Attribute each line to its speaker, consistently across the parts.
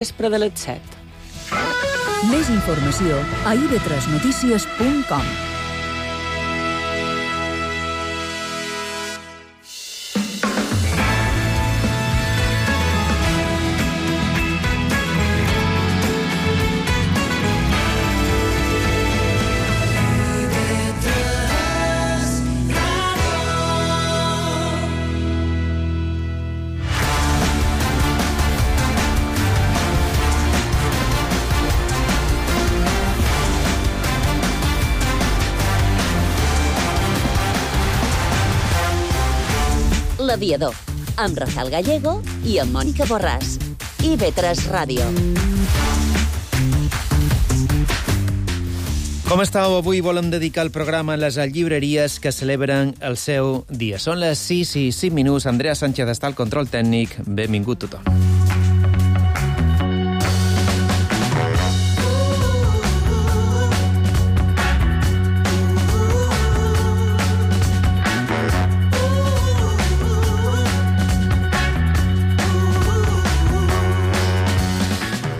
Speaker 1: vespre de les 7.
Speaker 2: Més informació a ib3notícies.com.
Speaker 3: L'Aviador, amb Rafael Gallego i amb Mònica Borràs. IB3 Ràdio.
Speaker 4: Com estàu? Avui volem dedicar el programa a les llibreries que celebren el seu dia. Són les 6 i 5 minuts. Andrea Sánchez està al control tècnic. Benvingut tothom.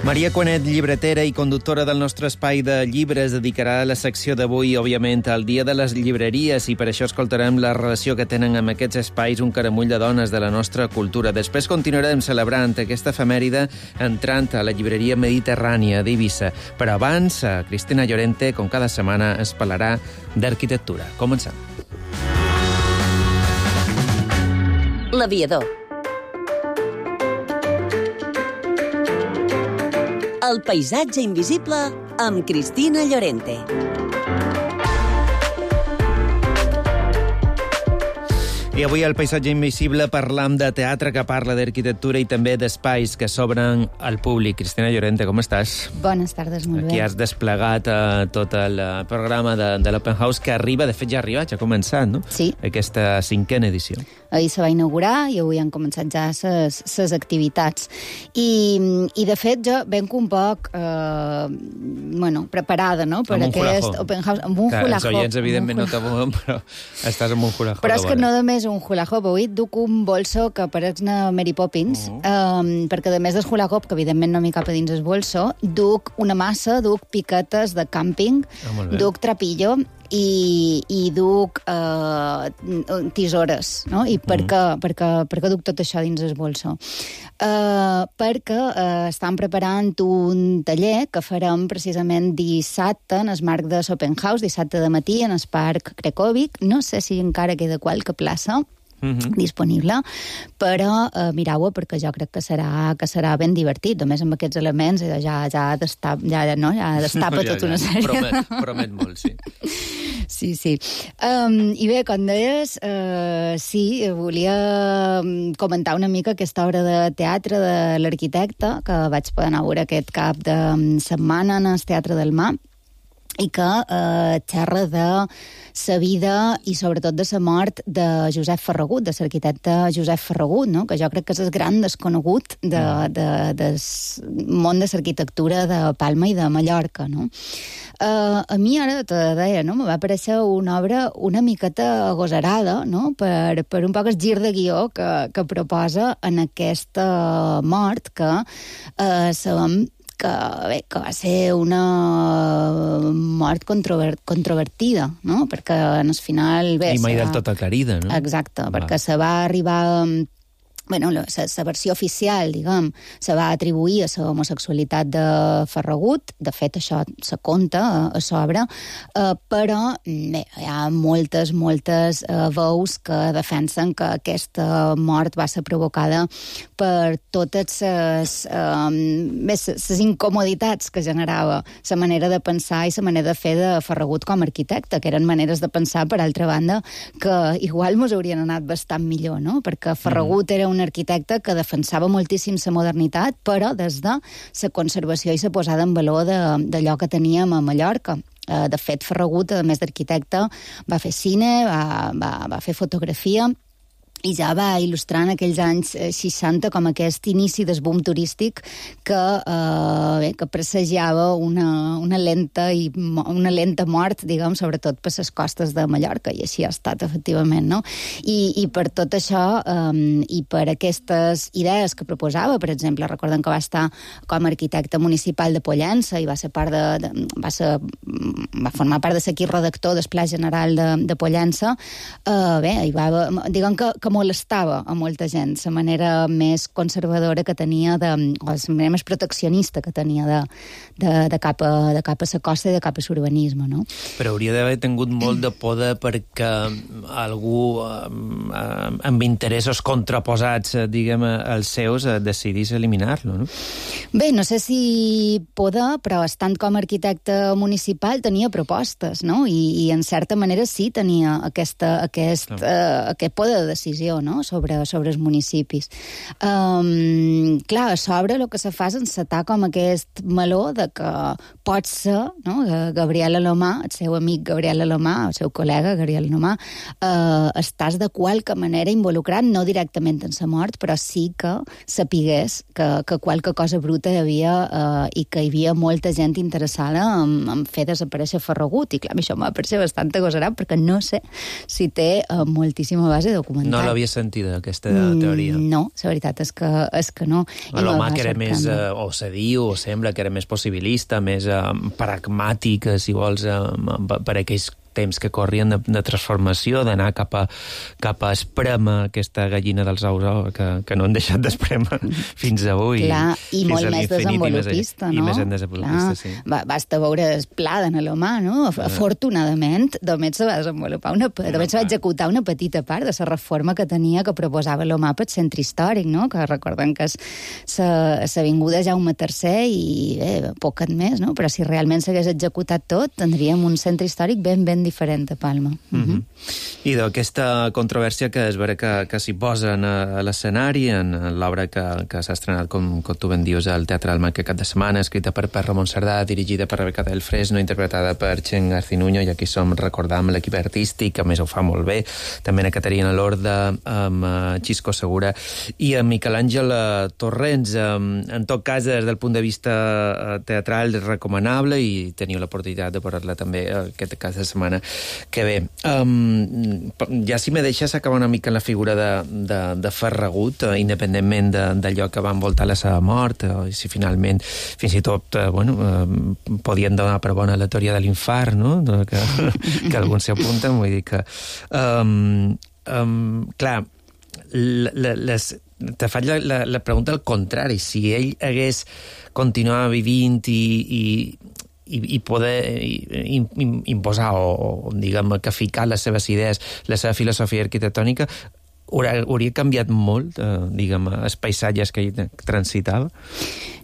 Speaker 4: Maria Cuanet, llibretera i conductora del nostre espai de llibres, dedicarà la secció d'avui, òbviament, al Dia de les Llibreries, i per això escoltarem la relació que tenen amb aquests espais un caramull de dones de la nostra cultura. Després continuarem celebrant aquesta efemèride entrant a la llibreria mediterrània d'Eivissa. Però abans, Cristina Llorente, com cada setmana, ens parlarà d'arquitectura. Comencem.
Speaker 3: L'Aviador. El paisatge invisible amb Cristina Llorente.
Speaker 4: I avui al Paisatge Invisible parlam de teatre que parla d'arquitectura i també d'espais que s'obren al públic. Cristina Llorente, com estàs?
Speaker 5: Bones tardes, molt bé.
Speaker 4: Aquí has desplegat tot el programa de l'Open House que arriba, de fet ja ha arribat, ja ha començat, no?
Speaker 5: Sí.
Speaker 4: Aquesta 5a edició.
Speaker 5: Ahir se va inaugurar i avui han començat ja ses activitats. I de fet jo venc un poc preparada, no? Per aquest Open House. Amb un hula hoop.
Speaker 4: Els oients, evidentment, no t'amouen, però estàs amb un hula hoop.
Speaker 5: Però és que no només un hula hoop. Avui duc un bolso que pareix-ne Mary Poppins, perquè a més del hula hoop, que evidentment no m'hi cap a dins el bolso, duc una massa, duc piquetes de càmping, duc trapillo i duc tisores, no? I per què duc tot això dins el bolso? Perquè estan preparant un taller que farem precisament dissabte en el marc de l'Open House, dissabte de matí en el Parc Cracòvic. No sé si encara queda qualque plaça disponible, però mireu-ho perquè jo crec que serà ben divertit. Només amb aquests elements ja destapa tota una sèrie.
Speaker 4: Promet molt, sí.
Speaker 5: Sí. I bé, com deies, sí, volia comentar una mica aquesta obra de teatre de l'arquitecte que vaig poder anar a veure aquest cap de setmana en el Teatre del Mar i que xerra de la vida i sobretot de la mort de Josep Ferragut, de l'arquitecte Josep Ferragut, no? Que jo crec que és el gran desconegut del món de l'arquitectura de Palma i de Mallorca, no? A mi ara te deia, no? Me va aparèixer una obra una miqueta agosarada, no? Per un poc el gir de guió que proposa en aquesta mort que sabem que va ser una mort controvertida, no? Perquè en el final...
Speaker 4: I mai del tot aclarida, no?
Speaker 5: Exacte, perquè se va arribar... la versió oficial, diguem, se va atribuir a la homosexualitat de Ferragut. De fet, això se conta a sobre, però bé, hi ha moltes veus que defensen que aquesta mort va ser provocada per totes les incomoditats que generava la manera de pensar i la manera de fer de Ferragut com a arquitecte, que eren maneres de pensar, per altra banda, que igual mos haurien anat bastant millor, no? Perquè Ferragut era un arquitecte que defensava moltíssim la modernitat, però des de la conservació i la posada en valor d'allò que teníem a Mallorca. De fet, Ferragut, a més d'arquitecte, va fer cine, va fer fotografia, i ja va il·lustrar en aquells anys 60 com aquest inici del boom turístic que presagiava una lenta mort, diguem, sobretot per les costes de Mallorca, i així ha estat, efectivament, no? I per tot això, i per aquestes idees que proposava, per exemple, recordem que va estar com a arquitecte municipal de Pollença i va formar part de l'equip redactor del Pla General de Pollença, diguem que molestava a molta gent la manera més conservadora que tenia, o la manera més proteccionista que tenia de cap a la costa i de cap a l'urbanisme, no?
Speaker 4: Però hauria d'haver tingut molt de poder perquè algú amb interessos contraposats, diguem, als seus, decidís eliminar-lo, no?
Speaker 5: Bé, no sé si poder, però estant com a arquitecte municipal tenia propostes, no? I en certa manera sí tenia aquest poder de decisió, no? sobre els municipis. Clar, a sobre el que se fa és encetar com aquest meló de que pot ser, no? Gabriel Alomà, el seu amic Gabriel Alomà, el seu col·lega Gabriel Alomà, estàs de qualque manera involucrat, no directament en la mort, però sí que sapigués que qualque cosa bruta hi havia i que hi havia molta gent interessada en fer desaparèixer Ferragut. I clar, això m'ha paregut bastant agosarat perquè no sé si té moltíssima base documental.
Speaker 4: No l'havia sentida, aquesta teoria.
Speaker 5: No, la veritat és que no.
Speaker 4: Alomà, que era més, o se diu, o sembla que era més possibilista, més pragmàtic, si vols, per aquells temps que corrien de transformació, d'anar cap a esprema aquesta gallina dels ous, que no han deixat d'esprema fins avui.
Speaker 5: Clar, i molt més desenvolupista, no?
Speaker 4: I més desenvolupista, sí.
Speaker 5: Basta veure el pla d'en Alomà, no? Afortunadament, només se va desenvolupar només se va executar una petita part de la reforma que tenia, que proposava Alomà pel centre històric, no? Que recordem que és l'avinguda Jaume III i poquet més, no? Però si realment s'hagués executat tot, tindríem un centre històric ben diferent a Palma.
Speaker 4: I d'aquesta controvèrsia que es veure que s'hi posen a l'escenari en l'obra que s'ha estrenat, com tu ben dius, al Teatre Alma aquest cap de setmana, escrita per Ramon Cerdà, dirigida per Rebeca del Fresno, interpretada per Txen Garcinuño, i aquí som recordant l'equip artístic, que a més ho fa molt bé, també a Caterina Lorda, amb Xisco Segura i amb Miquel Àngel Torrents. En tot cas, des del punt de vista teatral, és recomanable i teniu l'oportunitat de veure-la també aquest cas de setmana que ve. Ja si me deixes acabar una mica en la figura de Ferragut, independentment d'allò que va envoltar la seva mort, i si finalment fins i tot podien donar per bona la teoria de l'infart, no? que alguns s'hi apunten, vull dir que clar, te faig la pregunta al contrari. Si ell hagués continuat vivint i poder imposar o diguem, que ficar les seves idees, la seva filosofia arquitectònica, hauria canviat molt, diguem, els paisatges que ell transitava?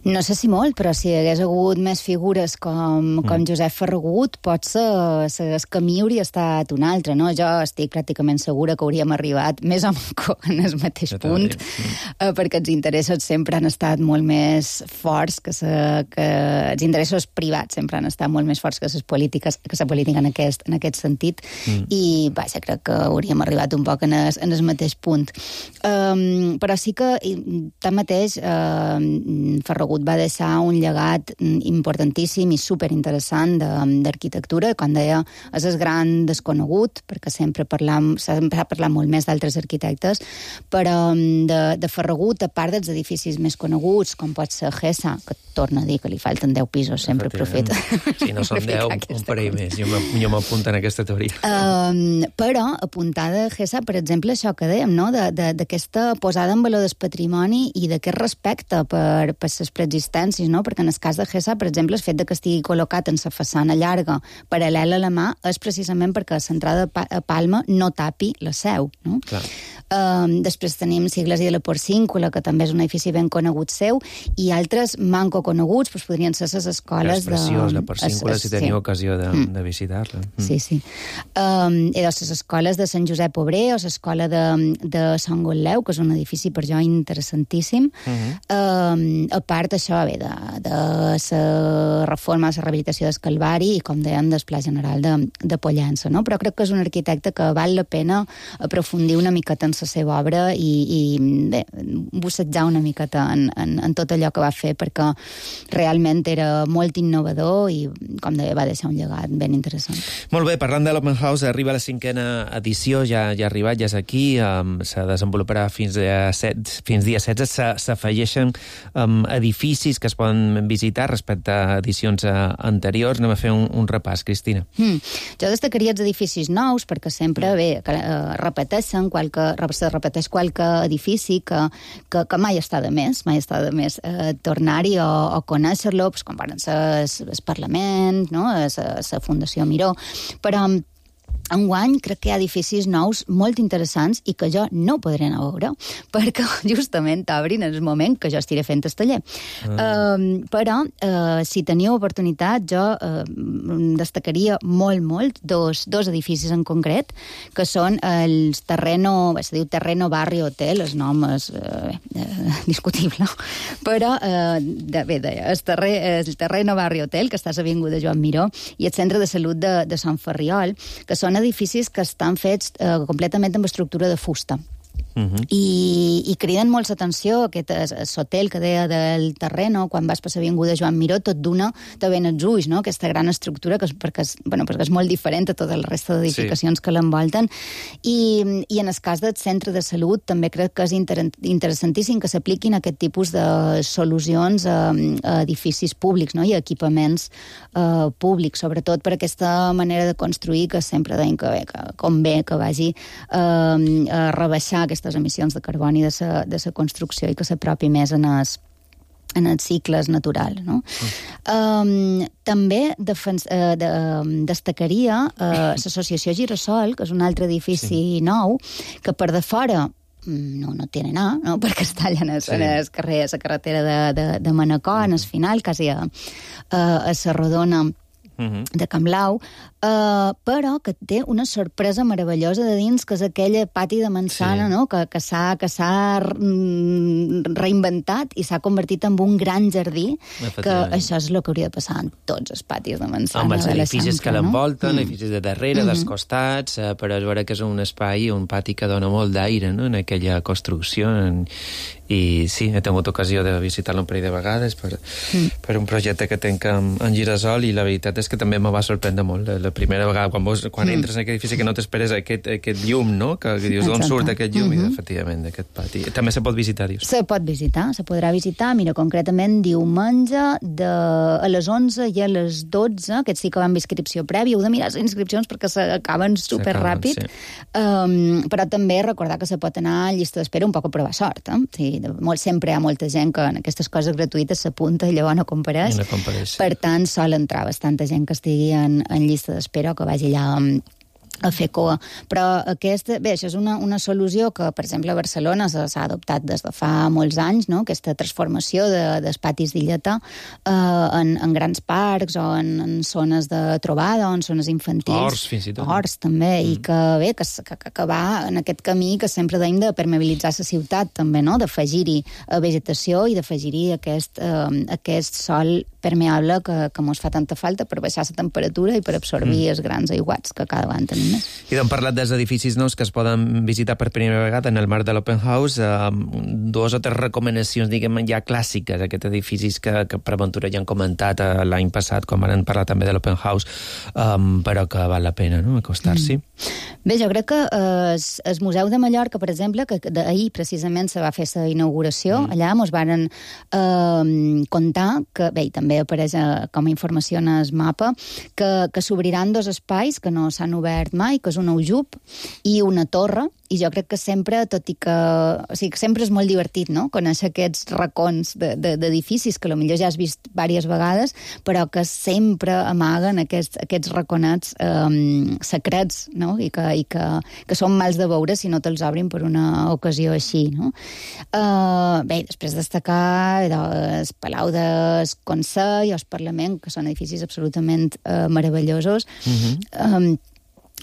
Speaker 5: No sé si molt, però si hi hagués hagut més figures com Josep Ferragut, potser el camí hauria estat un altre, no? Jo estic pràcticament segura que hauríem arribat més o menys en el mateix punt, perquè els interessos sempre han estat molt més forts que els interessos privats sempre han estat molt més forts que la política en aquest sentit, i vaja, crec que hauríem arribat un poc en el mateix punt. Però sí que, tanmateix, Ferragut va deixar un llegat importantíssim i superinteressant d'arquitectura. Com deia, és el gran desconegut, perquè sempre s'ha parlat molt més d'altres arquitectes, però de Ferragut, a part dels edificis més coneguts, com pot ser Gessa, que torna a dir que li falten 10 pisos, sempre aprofita.
Speaker 4: Si no són 10, un parell més. Jo m'apunto en aquesta teoria.
Speaker 5: Però, apuntada a Gessa, per exemple, això que dèiem, no? D'aquesta posada en valor del patrimoni i d'aquest respecte per les preexistències, no? Perquè en el cas de Gessa, per exemple, el fet de que estigui col·locat en la façana llarga paral·lela a la mà és precisament perquè l'entrada a Palma no tapi la seu, no?
Speaker 4: Clar.
Speaker 5: Després tenim Sigles i de la Porcíncula, que també és un edifici ben conegut seu, i altres manco coneguts, doncs podrien ser les escoles
Speaker 4: és preciós, la Porcíncula, si teniu ocasió de visitar-la.
Speaker 5: Sí. I les escoles de Sant Josep Obrer o l'escola de de Sant Gotleu, que és un edifici per jo interessantíssim. A part, això, bé, de la reforma, la rehabilitació del Calvari i, com dèiem, del Pla General de Pollença, no? Però crec que és un arquitecte que val la pena aprofundir una miqueta en la seva obra i bé, bussejar una miqueta en tot allò que va fer, perquè realment era molt innovador i, com deia, va deixar un llegat ben interessant.
Speaker 4: Molt bé, parlant de l'Open House, arriba la 5ª edició, ja ha arribat, ja és aquí, se desenvoluparà fins dia 16, s'afegeixen edificis que es poden visitar respecte a edicions anteriors. Anem a fer un repàs, Cristina.
Speaker 5: Jo destacaria els edificis nous, perquè sempre repeteix qualque edifici que mai està de més, tornar-hi o conèixer-lo, com poden ser el Parlament, no? La Fundació Miró, però enguany crec que hi ha edificis nous molt interessants i que jo no podré anar a veure, perquè justament obrin en el moment que jo estiré fent el taller. Però, si teniu oportunitat, jo destacaria molt dos edificis en concret, que són el Terreno, se diu Terreno Barri Hotel, el nom és discutible, però el Terreno Barri Hotel, que està a l'Avinguda Joan Miró, i el Centre de Salut de Sant Ferriol, que són edificis que estan fets completament amb estructura de fusta. I criden molt l'atenció aquest hotel que deia del Terreno, quan vas per l'avinguda Joan Miró, tot d'una te ven els ulls, no? Aquesta gran estructura, perquè és molt diferent a tota la resta d'edificacions que l'envolten. I en el cas del centre de salut també crec que és interessantíssim que s'apliquin aquest tipus de solucions a edificis públics, no? I a equipaments públics, sobretot per aquesta manera de construir que sempre deien que convé que vagi a rebaixar aquestes emissions de carboni de la construcció i que s'apropi més en els cicles naturals, no? També destacaria l'associació Girasol, que és un altre edifici nou, que per de fora no tiene nada, no? Perquè està allà en el carrer, a la carretera de Manacor, en el final, quasi a la rodona de Camp Lau, però que té una sorpresa meravellosa de dins, que és aquell pati de manzana, no? que s'ha reinventat i s'ha convertit en un gran jardí, que això és el que hauria de passar en tots els patis de manzana.
Speaker 4: Amb els edificis que l'envolten, edificis de darrere, dels costats, però és vera que és un espai, un pati que dona molt d'aire, no?, en aquella construcció. I sí, he tingut ocasió de visitar-lo un parell de vegades per un projecte que tenc en Girasol, i la veritat és que també me va sorprendre molt la primera vegada, quan entres en aquest edifici, que no t'esperes aquest llum, no? Que dius, d'on surt aquest llum? I efectivament, d'aquest pati. També se pot visitar, dius?
Speaker 5: Se pot visitar, se podrà visitar. Mira, concretament diumenge a les 11 i a les 12, aquest sí que va amb inscripció prèvia. Heu de mirar les inscripcions perquè s'acaben superràpid. Però també recordar que se pot anar a llista d'espera un poc a provar sort. Sempre hi ha molta gent que en aquestes coses gratuïtes s'apunta i llavors no compareix. Per tant, sol entrar bastanta gent que estigui en llista d'espera o que vagi allà a fer coa. Però això és una solució que, per exemple, a Barcelona s'ha adoptat des de fa molts anys, no? Aquesta transformació dels patis d'illeta en grans parcs o en zones de trobada o en zones infantils.
Speaker 4: Horts, fins i tot.
Speaker 5: Horts, també, i que va en aquest camí que sempre deim de permeabilitzar la ciutat, també, no? D'afegir-hi vegetació i d'afegir-hi aquest sòl permeable que mos fa tanta falta per baixar la temperatura i per absorbir els grans aiguats que cada vegada tenim més.
Speaker 4: I d'on parlat dels edificis nous que es poden visitar per primera vegada en el marc de l'Open House, dues o tres recomanacions, diguem, ja clàssiques, aquests edificis que per aventura ja han comentat l'any passat, com van parlar també de l'Open House, però que val la pena, no?, acostar-s'hi.
Speaker 5: Bé, jo crec que el Museu de Mallorca, per exemple, que ahir precisament se va fer la inauguració, allà mos varen contar que, bé, també apareix com a informació en el mapa, que s'obriran dos espais que no s'han obert mai, que és un aljub i una torre, i jo crec que sempre, tot i que... O sigui, que sempre és molt divertit, no?, conèixer aquests racons d'edificis que potser ja has vist diverses vegades, però que sempre amaguen aquests raconats secrets, no?, i que són mals de veure si no te'ls obrin per una ocasió així, no? Bé, després destacar el Palau del Consell i el Parlament, que són edificis absolutament meravellosos,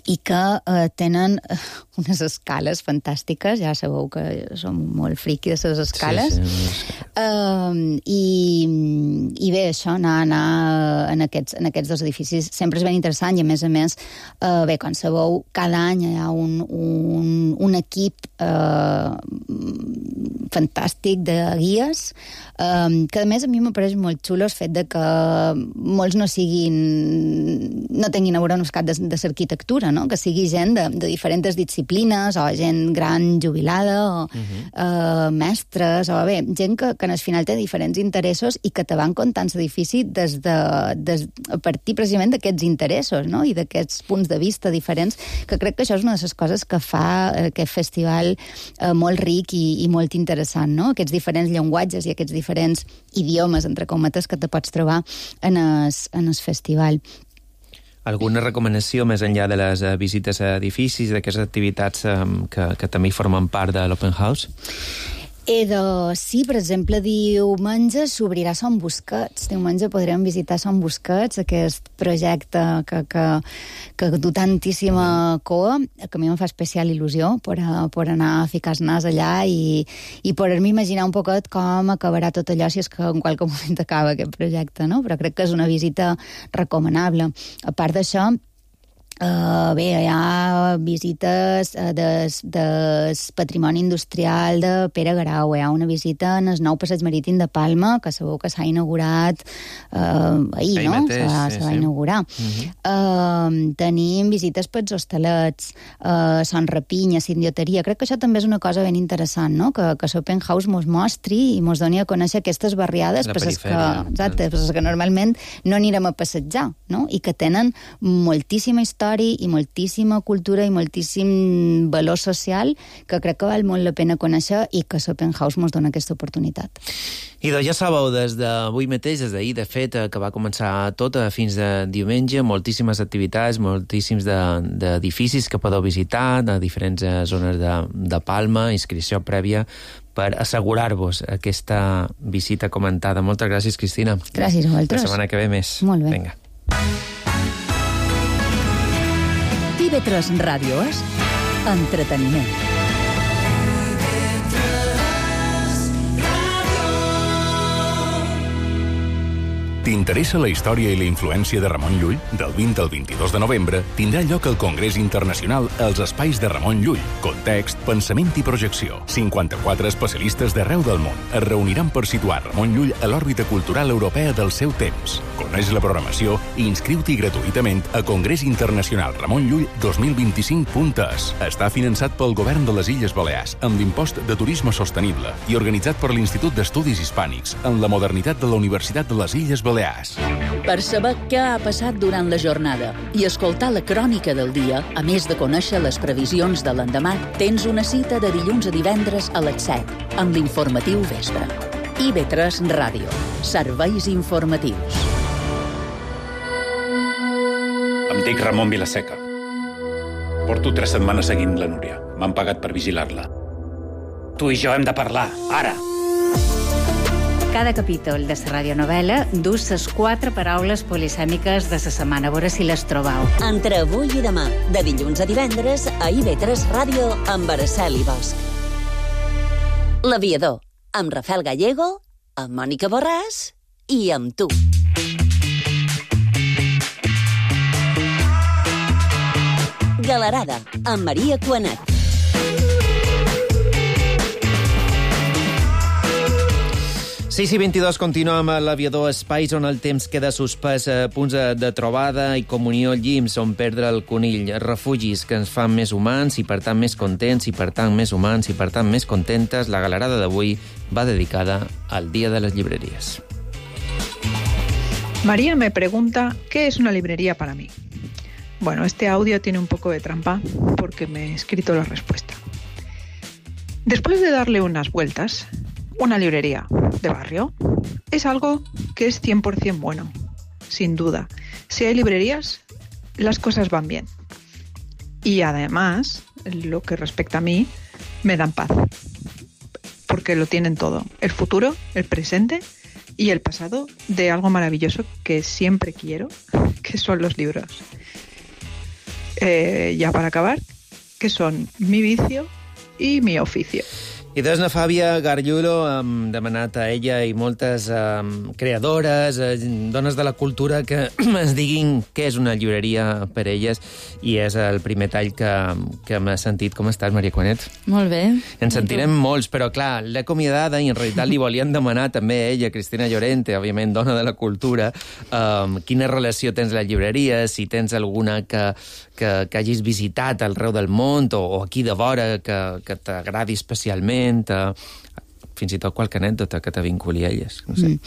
Speaker 5: i que tenen unes escales fantàstiques, ja sabeu que som molt friqui de les escales. I bé, això, anar en aquests dos edificis sempre és ben interessant i, a més, bé, com sabeu, cada any hi ha un equip fantàstic de guies, que, a més, a mi m'apareix molt xulo el fet de que molts no tinguin a veure un cap de l'arquitectura, no? Que sigui gent de diferents disciplines, o gent gran jubilada, o mestres, o bé, gent que al final té diferents interessos i que te van contant l'edifici a partir precisament d'aquests interessos, no? I d'aquests punts de vista diferents, que crec que això és una de les coses que fa aquest festival molt ric i molt interessant, no? Aquests diferents llenguatges i aquests diferents idiomes, entre cometes, que te pots trobar en el festival.
Speaker 4: Alguna recomanació més enllà de les visites a edificis, d'aquestes activitats que també formen part de l'Open House?
Speaker 5: Sí, per exemple, diumenge s'obrirà Son Busquets. Diumenge podrem visitar Son Busquets, aquest projecte que du tantíssima coa, que a mi em fa especial il·lusió per anar a ficar el nas allà i poder-me imaginar un poquet com acabarà tot allò, si és que en qualque moment acaba aquest projecte, no? Però crec que és una visita recomanable. A part d'això, bé, hi ha visites del patrimoni industrial de Pere Garau, hi ha una visita en el nou passeig marítim de Palma, que sabeu que s'ha inaugurat ahir, no? Se va inaugurar. Tenim visites pels hostalets, Son Rapinya, Sindioteria. Crec que això també és una cosa ben interessant, no? Que l'Open House mos mostri i mos doni a conèixer aquestes barriades, que normalment no anirem a passejar, no? I que tenen moltíssima història i moltíssima cultura i moltíssim valor social que crec que val molt la pena conèixer i que l'Open House ens dona aquesta oportunitat.
Speaker 4: I ja sabeu, des d'avui mateix, des d'ahir, de fet, que va començar tot fins de diumenge, moltíssimes activitats, moltíssims d'edificis que podeu visitar, de diferents zones de Palma, inscripció prèvia, per assegurar-vos aquesta visita comentada. Moltes gràcies, Cristina.
Speaker 5: Gràcies a vosaltres.
Speaker 4: La setmana que ve més.
Speaker 5: Molt bé.
Speaker 4: Vinga.
Speaker 2: TV3 Ràdio és entreteniment.
Speaker 1: T'interessa la història i la influència de Ramon Llull? Del 20 al 22 de novembre tindrà lloc el Congrés Internacional als Espais de Ramon Llull. Context, pensament i projecció. 54 especialistes d'arreu del món es reuniran per situar Ramon Llull a l'òrbita cultural europea del seu temps. Coneix la programació i inscriu-t'hi gratuïtament a congresinternacionalramonnllull 2025.es. Està finançat pel Govern de les Illes Balears amb l'impost de turisme sostenible i organitzat per l'Institut d'Estudis Hispànics en la modernitat de la Universitat de les Illes Balears.
Speaker 6: Per saber què ha passat durant la jornada i escoltar la crònica del dia, a més de conèixer les previsions de l'endemà, tens una cita de dilluns a divendres a les 7 amb l'informatiu Vespre. IB3 Ràdio. Serveis informatius.
Speaker 7: Em dic Ramon Vilaseca. Porto 3 setmanes seguint la Núria. M'han pagat per vigilar-la. Tu i jo hem de parlar, ara!
Speaker 8: Cada capítol de la radionovel·la du les 4 paraules polisèmiques de la setmana. A veure si les trobeu.
Speaker 3: Entre avui i demà, de dilluns a divendres, a IB3 Ràdio, amb Araceli Bosch. L'Aviador, amb Rafael Gallego, amb Mònica Borràs i amb tu. Galerada, amb Maria Cuanet.
Speaker 4: Sí, 22 continua amb l'Aviador, espais on el temps queda suspès, punts de trobada i comunió, llims on perdre el conill, refugis que ens fan més humans i per tant més contents i per tant més humans i per tant més contentes. La galerada d'avui va dedicada al Día de las Librerías.
Speaker 9: María me pregunta ¿qué es una librería para mí? Bueno, este audio tiene un poco de trampa porque me he escrito la respuesta. Después de darle unas vueltas, una librería de barrio es algo que es 100% bueno, sin duda. Si hay librerías, las cosas van bien. Y además, lo que respecta a mí, me dan paz. Porque lo tienen todo. El futuro, el presente y el pasado de algo maravilloso que siempre quiero, que son los libros. ya para acabar, que son mi vicio y mi oficio.
Speaker 4: I doncs la Fàbia Gargiulo hem demanat a ella i moltes creadores, dones de la cultura, que ens diguin què és una llibreria per elles, i és el primer tall que m'ha sentit. Com estàs, Maria Cuanet?
Speaker 10: Molt bé.
Speaker 4: Ens sentirem molts, però clar, l'he acomiadada i en realitat li volien demanar també a ella, Cristina Llorente, òbviament dona de la cultura, quina relació tens a la llibreria, si tens alguna que hagis visitat arreu del món o aquí de vora que t'agradi especialment, fins i tot qualque anècdota que te vinculi a elles. No sé.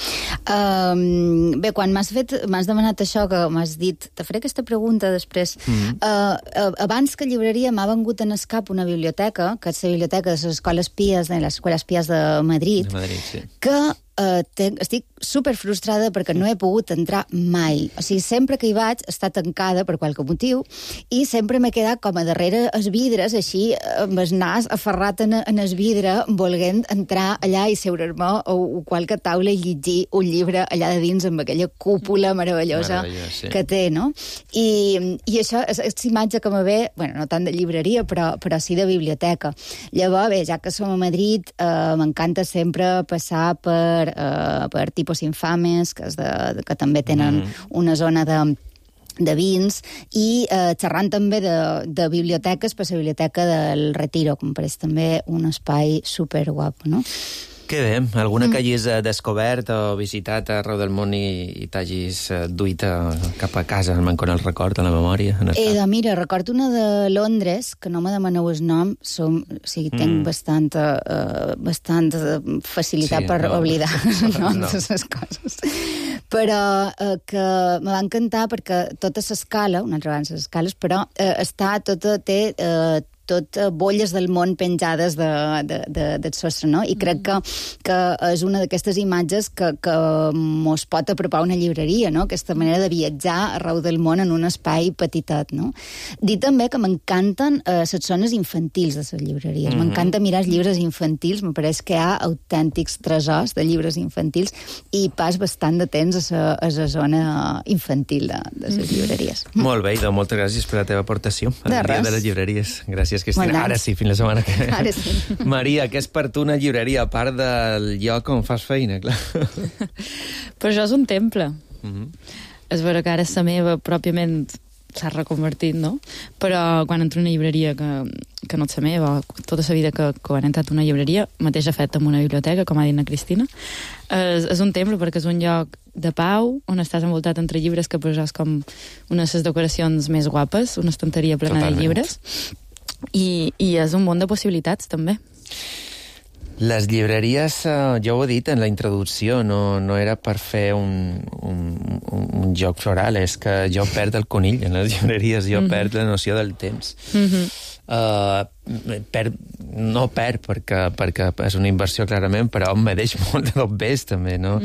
Speaker 5: Bé, quan m'has demanat això, que m'has dit, te faré aquesta pregunta després. Abans que llibreria m'ha vengut en escap una biblioteca, que és la biblioteca de les Escoles Pies, de les Escoles Pies de Madrid,
Speaker 4: Sí.
Speaker 5: que estic super frustrada perquè no he pogut entrar mai. O sigui, sempre que hi vaig està tancada per qualque motiu i sempre m'he quedat com a darrere els vidres, així amb el nas aferrat en el vidre, volent entrar allà i seure'm a qualque taula i llegir un llibre allà de dins amb aquella cúpula meravellosa
Speaker 4: sí.
Speaker 5: que té, no? I això és imatge que me ve, bueno, no tant de llibreria, però sí de biblioteca. Llavors, bé, ja que som a Madrid, m'encanta sempre passar per Tipos Infames, que també tenen una zona de vins, i xerrant també de biblioteques, per la biblioteca del Retiro, que em pareix també un espai superguapo, no?
Speaker 4: Que bé, alguna que hagis descobert o visitat arreu del món i t'hagis duit cap a casa, con el record, a la memòria?
Speaker 5: Mira, recordo una de Londres, que no me demaneu el nom, tinc bastant facilitat per oblidar els noms de les coses. Però que me va encantar perquè tota l'escala, una altra vegada les escales, però té tot bolles del món penjades del sostre, no? I crec que és una d'aquestes imatges que mos pot apropar una llibreria, no? Aquesta manera de viatjar arreu del món en un espai petitet, no? Dir també que m'encanten les zones infantils de les llibreries. M'encanta mirar els llibres infantils, me pareix que hi ha autèntics tresors de llibres infantils i pas bastant de temps a la zona infantil de les llibreries.
Speaker 4: Molt bé, Ido, moltes gràcies per la teva aportació al dia de les llibreries. Gràcies, Cristina. Ara sí, fins la setmana que ve.
Speaker 5: Ara sí.
Speaker 4: Maria, què és per tu una llibreria, a part del lloc on fas feina, clar?
Speaker 10: Però això és un temple. És vera que ara la meva pròpiament s'ha reconvertit, no? Però quan entro en una llibreria que no és la meva, tota la vida que quan he entrat a una llibreria, mateix he fet amb una biblioteca, com ha dit la Cristina, és un temple perquè és un lloc de pau, on estàs envoltat entre llibres, que per això és com una de les decoracions més guapes, una estanteria plena de llibres, i és un món de possibilitats, també.
Speaker 4: Les llibreries, ja ho he dit en la introducció, no era per fer un joc floral, és que jo perd el conill en les llibreries, jo perd la noció del temps. No perd perquè és una inversió clarament, però em deix molt de dobbers també, no?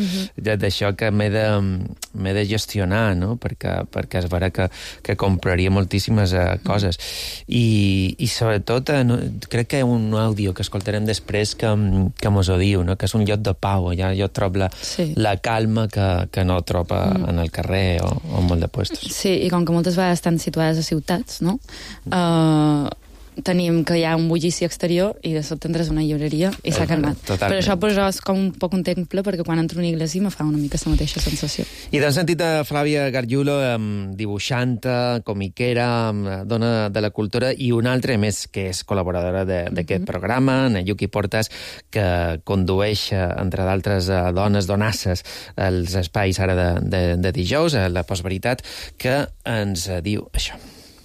Speaker 4: D'això que m'he de gestionar, no? Perquè és vera que compraria moltíssimes coses i sobretot crec que hi ha un àudio que escoltarem després que mos ho diu, no? Que és un lloc de pau, allà jo trobo la calma que no trobo en el carrer o en molt de puestos.
Speaker 10: Sí, i com que moltes vegades estan situades a ciutats, no? Tenim que hi ha un bullici exterior i de sobte entres a una llibreria i s'ha calmat.
Speaker 4: Totalment.
Speaker 10: Per això és com un poc un temple, perquè quan entro a una iglesia me fa una mica la mateixa sensació.
Speaker 4: I t'hem sentit a Flavia Gargiulo, dibuixanta, comiquera, dona de la cultura, i una altra més que és col·laboradora d'aquest programa, Nayuki Portas, que condueix, entre d'altres donasses, els espais ara de dijous, a la Postveritat, que ens diu això.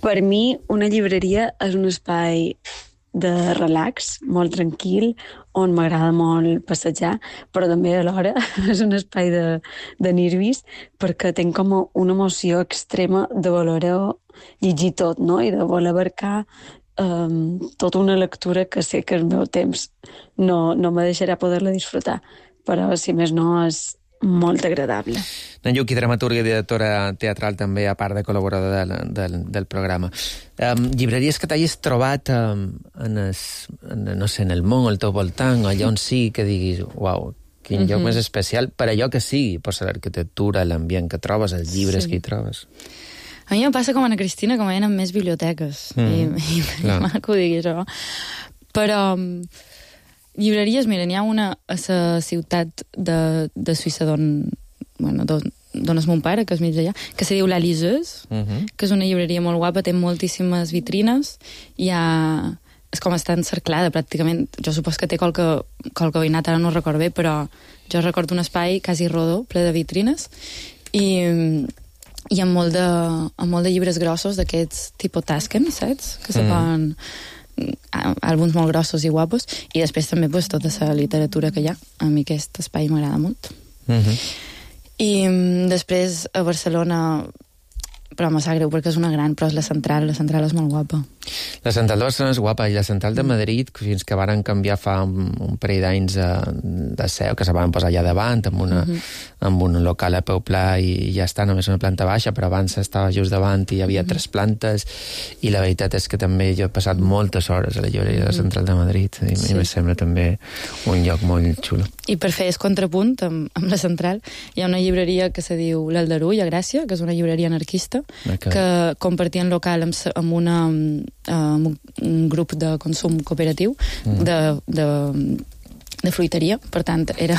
Speaker 11: Per mi, una llibreria és un espai de relax, molt tranquil, on m'agrada molt passejar, però també alhora és un espai de nervis, perquè tinc com una emoció extrema de voler llegir tot, no? I de voler abarcar tota una lectura que sé que el meu temps no me deixarà poder-la disfrutar, però si més no és molt agradable.
Speaker 4: Nayuki, dramaturga i directora teatral també, a part de col·laboradora del programa. Llibreries que t'hagis trobat no sé, en el món, al teu voltant, allà on sí que diguis, uau, quin lloc més especial, per allò que sigui, per l'arquitectura, l'ambient que trobes, els llibres que hi trobes.
Speaker 10: A mi em passa com a Ana Cristina, com a en més biblioteques. I maco ho digui això. Però llibreries, mira, n'hi ha una a la ciutat de Suïssa d'on és mon pare, que és mig d'allà, que se diu La Liseuse, que és una llibreria molt guapa, té moltíssimes vitrines, és com està encerclada, pràcticament. Jo supos que té qualque veïnat, ara no ho recordo bé, però jo recordo un espai quasi rodó, ple de vitrines, i amb molt de llibres grossos d'aquests tipus Tasken, saps? Que se poden àlbums molt grossos i guapos, i després també tota la literatura que hi ha. A mi aquest espai m'agrada molt. I després a Barcelona, però me sap greu perquè és una gran, però és la central és molt guapa.
Speaker 4: La central de Barcelona és guapa, i la central de Madrid, fins que varen canviar fa un parell d'anys de seu, que se van posar allà davant, amb un local a peu pla, i ja està, només una planta baixa, però abans estava just davant i hi havia 3 plantes, i la veritat és que també jo he passat moltes hores a la llibreria de la central de Madrid, i em sembla també un lloc molt xulo.
Speaker 10: I per fer contrapunt amb la central, hi ha una llibreria que se diu l'Aldarull, a Gràcia, que és una llibreria anarquista, que compartien local amb un grup de consum cooperatiu de fruiteria, per tant era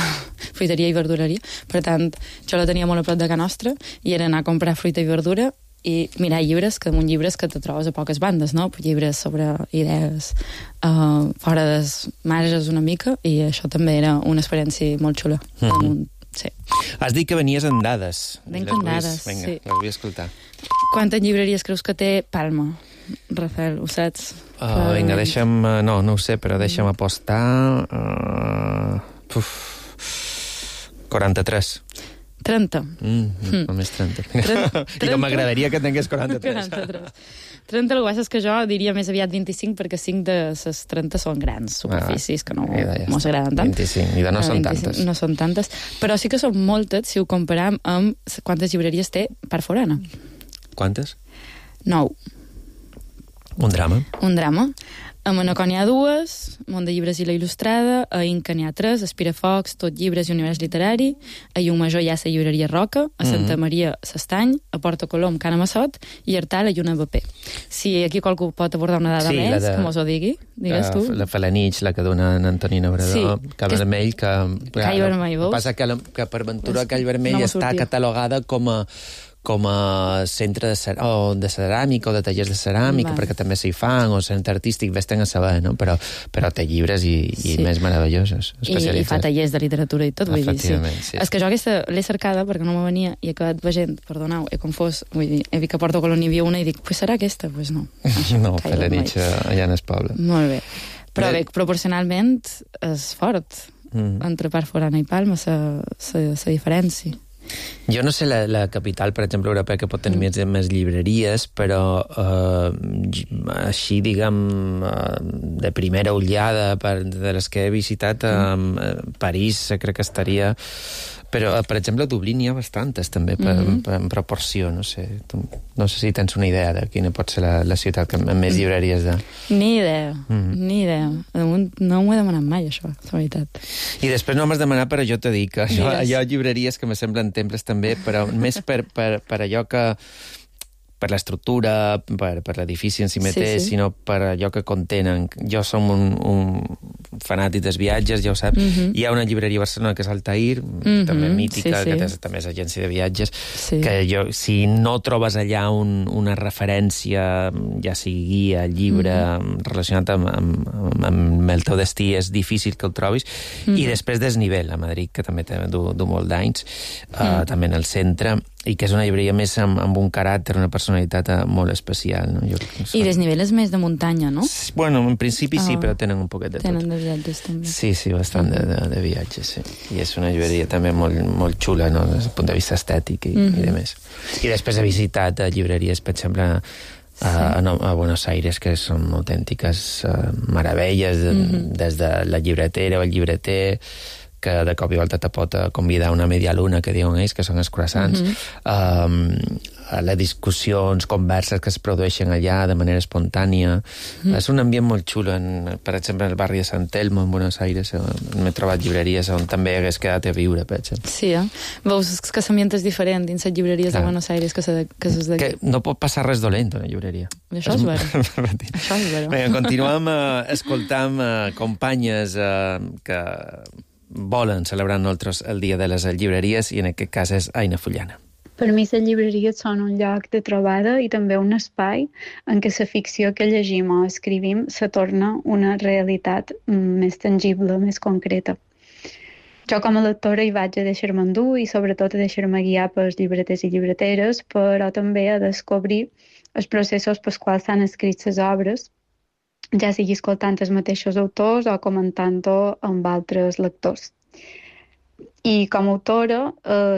Speaker 10: fruiteria i verdureria, per tant jo la tenia molt a prop de casa nostra i era anar a comprar fruita i verdura i mirar llibres, que un llibres que te trobes a poques bandes, no? Llibres sobre idees fora dels marges una mica, i això també era una experiència molt xula. Sí.
Speaker 4: Has dit que venies amb dades.
Speaker 10: Venc amb dades,
Speaker 4: sí. Vinga, les vull escoltar.
Speaker 10: Quantes llibreries creus que té Palma, Rafael? Ho saps?
Speaker 4: Vinga, deixa'm... No ho sé, però deixa'm apostar... 43.
Speaker 10: 30.
Speaker 4: Només 30. I no m'agradaria que tingués 43.
Speaker 10: 30, el que passa és que jo diria més aviat 25, perquè 5 de les 30 són grans superfícies que no mos agraden tant.
Speaker 4: 25, i no són tantes.
Speaker 10: No són tantes, però sí que són moltes si ho comparam amb quantes llibreries té Part Forana.
Speaker 4: Quantes?
Speaker 10: 9.
Speaker 4: Un drama.
Speaker 10: A Manacor n'hi ha 2, Mont de Llibres i la Il·lustrada, a Inca n'hi ha 3, a Espirafocs, Tot Llibres i Univers Literari, a Llumajor hi ha la llibreria Roca, a Santa Maria l'Estany, a Porta Colom, Cana Massot, i a Artal, a Lluna BP. Si aquí qualcú pot abordar una dada més, com us ho digui, digues tu.
Speaker 4: La Falanich, la que dona en Antonina Obrador, Call Vermell, que...
Speaker 10: Call Vermell, veus?
Speaker 4: Passa que per ventura Call Vermell està catalogada com a centre de ceràmica o de tallers de ceràmica, perquè també s'hi fan, o centre artístic, vés-te'n a saber, no? Però té llibres i més meravellosos, especialitzats.
Speaker 10: I fa tallers de literatura i tot, vull dir, sí. És que jo aquesta l'he cercada perquè no me venia i he acabat veient, perdoneu, he confós, vull dir, he vist que a Porto Colom n'hi havia una i dic, pues serà aquesta? Pues no.
Speaker 4: No, per la nit allà en el poble.
Speaker 10: Molt bé. Però bé, proporcionalment és fort entre Part Forana i Palma, la diferència.
Speaker 4: Jo no sé la capital, per exemple, europea, que pot tenir més llibreries, però així, diguem, de primera ullada de les que he visitat, París crec que estaria... Però, per exemple, a Dublín hi ha bastantes, també, en proporció, no sé. No sé si tens una idea de quina pot ser la ciutat amb més llibreries de...
Speaker 10: Ni idea. No m'ho he demanat mai, això, la veritat.
Speaker 4: I després no m'has demanat, però jo t'he dit que hi ha llibreries que me semblen temples també, però més per allò que... per l'estructura, per l'edifici en si mateix, sinó per allò que contenen. Jo som un fanàtic dels viatges, ja ho saps. Hi ha una llibreria a Barcelona que és Altair, també mítica, que també és agència de viatges, que si no trobes allà una referència, ja sigui guia, llibre, relacionat amb el teu destí, és difícil que el trobis. I després Desnivell, a Madrid, que també du molt d'anys, també en el centre, i que és una llibreria més amb un caràcter, una personalitat molt especial. No?
Speaker 10: I Desnivell és més de muntanya, no?
Speaker 4: Bueno, en principi sí, però tenen un poquet de tot.
Speaker 10: Tenen de viatges, també.
Speaker 4: Sí, bastant de viatges, sí. I és una llibreria també molt xula, no? Des del punt de vista estètic i de més. I després he visitat llibreries, per exemple, a Buenos Aires, que són autèntiques meravelles, des de la llibretera o el llibreter, que de cop i volta te pot convidar a una media luna, que diuen ells, que són els croissants. a les discussions, converses que es produeixen allà de manera espontània. És un ambient molt xulo. Per exemple, en el barri de Sant Telmo, en Buenos Aires, m'he trobat llibreries on també hagués quedat a viure, per exemple.
Speaker 10: Sí, veus que l'ambient és diferent dins les llibreries de Buenos Aires que les d'aquí.
Speaker 4: Que no pot passar res dolent a una llibreria.
Speaker 10: Això és vera. Això és vera.
Speaker 4: Vinga, continuem escoltant companyes que volen celebrar nosaltres el Dia de les Llibreries, i en aquest cas és Aina Fullana.
Speaker 12: Per mi les llibreries són un lloc de trobada i també un espai en què la ficció que llegim o escrivim se torna una realitat més tangible, més concreta. Jo com a lectora hi vaig a deixar-me endur i sobretot a deixar-me guiar pels llibreters i llibreteres, però també a descobrir els processos pels quals s'han escrit les obres, ja sigui escoltant els mateixos autors o comentant-ho amb altres lectors. I com a autora,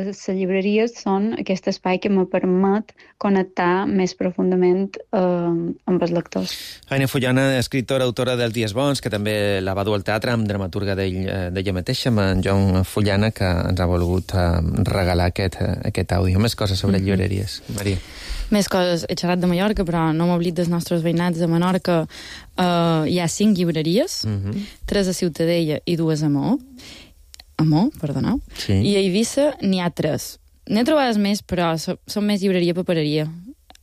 Speaker 12: les llibreries són aquest espai que me permet connectar més profundament amb els lectors.
Speaker 4: Aina Fullana, escriptora, autora dels Dies Bons, que també la va dur al teatre amb dramaturga d'ella mateixa, amb en Joan Fullana, que ens ha volgut regalar aquest àudio. Més coses sobre llibreries. Maria.
Speaker 10: Més coses. He xerrat de Mallorca, però no m'oblid dels nostres veïnats de Menorca. Hi ha 5 llibreries, 3 a Ciutadella i 2 a Maó, perdoneu. Sí. I a Eivissa n'hi ha 3. N'he trobades més, però són més llibreria-papereria.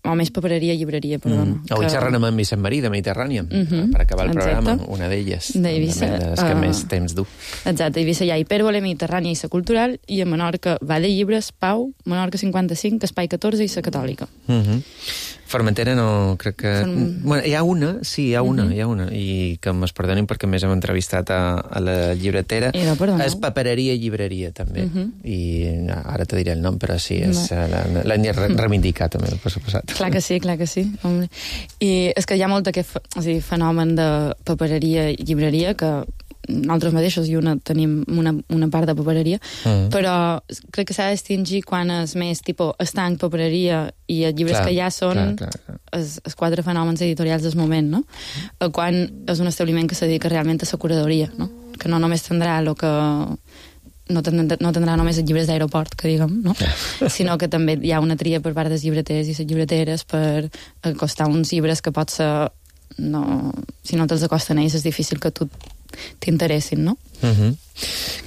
Speaker 10: O més papereria-llibreria, perdona.
Speaker 4: Avui xerrarem amb Vicent Marí, de Mediterrània, per acabar el programa, una d'elles.
Speaker 10: D'Eivissa.
Speaker 4: Les que més temps du.
Speaker 10: Exacte, a Eivissa hi ha Hipèrbole, Mediterrània i la Cultural, i a Menorca va de llibres, Pau, Menorca 55, Espai 14 i la Catòlica.
Speaker 4: Formentera no, crec que... Bueno, hi ha una, i que m'es perdonin perquè més hem entrevistat a la llibretera. És papereria i llibreria, també. I ara te diré el nom, però sí, l'hem de reivindicar, també, per suposat.
Speaker 10: Clar que sí. Home. I és que hi ha molt aquest fenomen de papereria i llibreria que nosaltres mateixos tenim una part de papereria, però crec que s'ha de distingir quan és més tipus estanc, papereria i els llibres que ja són els 4 fenòmens editorials del moment, no? Quan és un establiment que se dedica realment a la curadoria, no? Que no només tindrà el que... No tindrà només els llibres d'aeroport, que diguem, no? Sinó que també hi ha una tria per part dels llibreters i les llibreteres per acostar uns llibres que pot ser... Si no te'ls acosten ells, és difícil que tu t'interessin, no?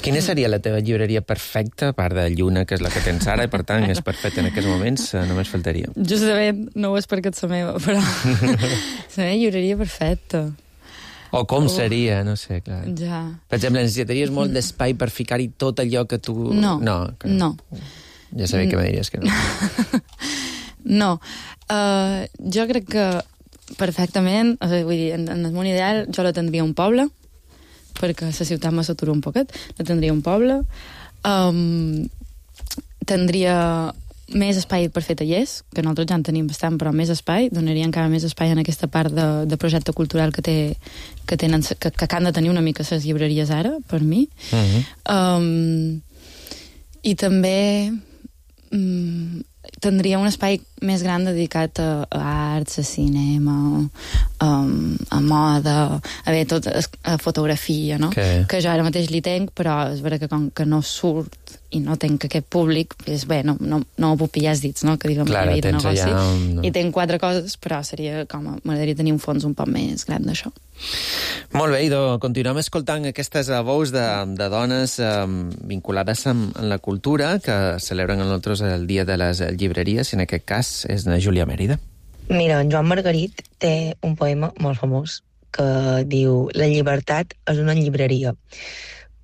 Speaker 4: Quina seria la teva llibreria perfecta, a part de Lluna, que és la que tens ara, i per tant és perfecta en aquests moments, només faltaria.
Speaker 10: Justament, no ho és perquè ets la meva, però la meva llibreria perfecta.
Speaker 4: O com seria, no sé, clar.
Speaker 10: Ja.
Speaker 4: Per exemple, necessitaries molt d'espai per ficar-hi tot allò que tu...
Speaker 10: No.
Speaker 4: Ja sabia que me diries que no.
Speaker 10: No. Jo crec que perfectament, vull dir, en el món ideal jo la tindria un poble, perquè la ciutat me satura un poquet, la tindria un poble, tindria més espai per fer tallers, que nosaltres ja en tenim bastant, però més espai, donaria encara més espai en aquesta part de projecte cultural que han de tenir una mica les llibreries ara, per mi. I també tindria un espai més gran dedicat a arts, a cinema, a moda, a fotografia, no? Que jo ara mateix li tenc, però és vera que com que no surt i no tenc aquest públic, és bé, no ho puc pillar els dits, no? Que diguem la vida de negoci. I tenc 4 coses, però seria com... M'agradaria tenir un fons un poc més gran d'això.
Speaker 4: Molt bé, idò, continuem escoltant aquestes veus de dones vinculades amb la cultura que celebren amb nosaltres el Dia de les Llibreries, i en aquest cas és la Júlia Mèrida.
Speaker 13: Mira, en Joan Margarit té un poema molt famós que diu: la llibertat és una llibreria.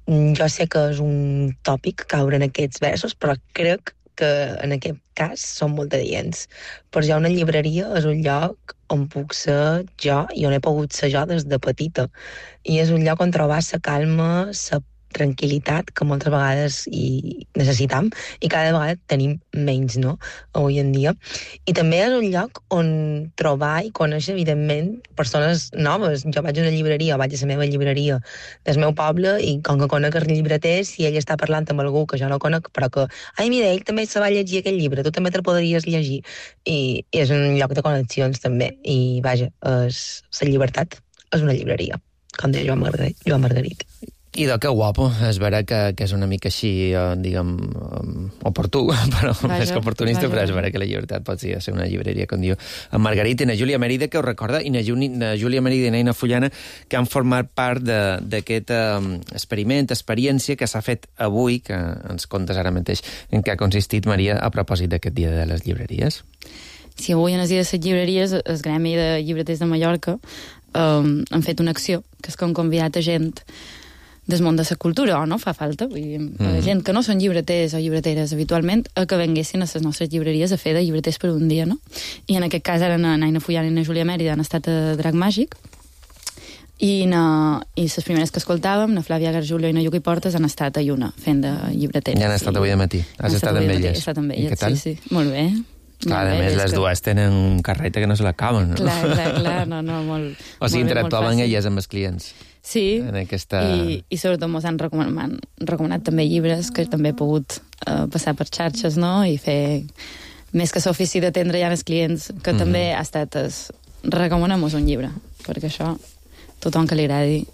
Speaker 13: Jo sé que és un tòpic caure en aquests versos, però crec que en aquest cas són molt adients. Per jo una llibreria és un lloc on puc ser jo i on he pogut ser jo des de petita. I és un lloc on trobar la calma, la tranquil·litat que moltes vegades hi necessitam i cada vegada tenim menys, no?, avui en dia. I també és un lloc on trobar i conèixer, evidentment, persones noves. Jo vaig a una llibreria, vaig a la meva llibreria del meu poble, i com que conec el llibreter, si ell està parlant amb algú que jo no conec, però que, ai, mira, ell també se va llegir aquest llibre, tu també te'l podries llegir. I és un lloc de connexions, també. I, vaja, la llibertat és una llibreria, com deia Joan Margarit.
Speaker 4: I que guapo, és vera que és una mica així, diguem, oportú, però més que oportunista, però és vera que la llibertat pot ser una llibreria, com diu en Margarita i na Júlia Mèrida, que ho recorda, i na Júlia Mèrida i na Ina Fullana, que han format part d'aquest experiència que s'ha fet avui, que ens contes ara mateix en què ha consistit, Maria, a propòsit d'aquest dia de les llibreries.
Speaker 10: Sí, avui en el dia de les llibreries, el Gremi de Llibreters de Mallorca han fet una acció, que és que han convidat a gent del món de la cultura, o no fa falta, vull dir, gent que no són llibreters o llibreteres habitualment, que venguessin a les nostres llibreries a fer de llibreters per un dia, no? I en aquest cas ara na Ina Fullana i na Júlia Mèrida han estat a Drac Màgic, i les primeres que escoltàvem, na Flàvia Garjulio i na Lluc i Portes, han estat a Lluna, fent de llibreteres.
Speaker 4: Ja han estat avui de matí. Has estat amb elles.
Speaker 10: He estat amb elles,
Speaker 4: i què tal?
Speaker 10: Sí. Molt bé.
Speaker 4: Clar, a més, les dues tenen un carreta que no se l'acaben, no?
Speaker 10: Clar, no, molt...
Speaker 4: O sigui, interactuaven elles amb els clients.
Speaker 10: Sí, i sobretot ens han recomanat també llibres que també he pogut passar per xarxes, no?, i fer més que l'ofici d'atendre ja els clients, que també ha estat recomanem-nos un llibre, perquè això tothom que li agradi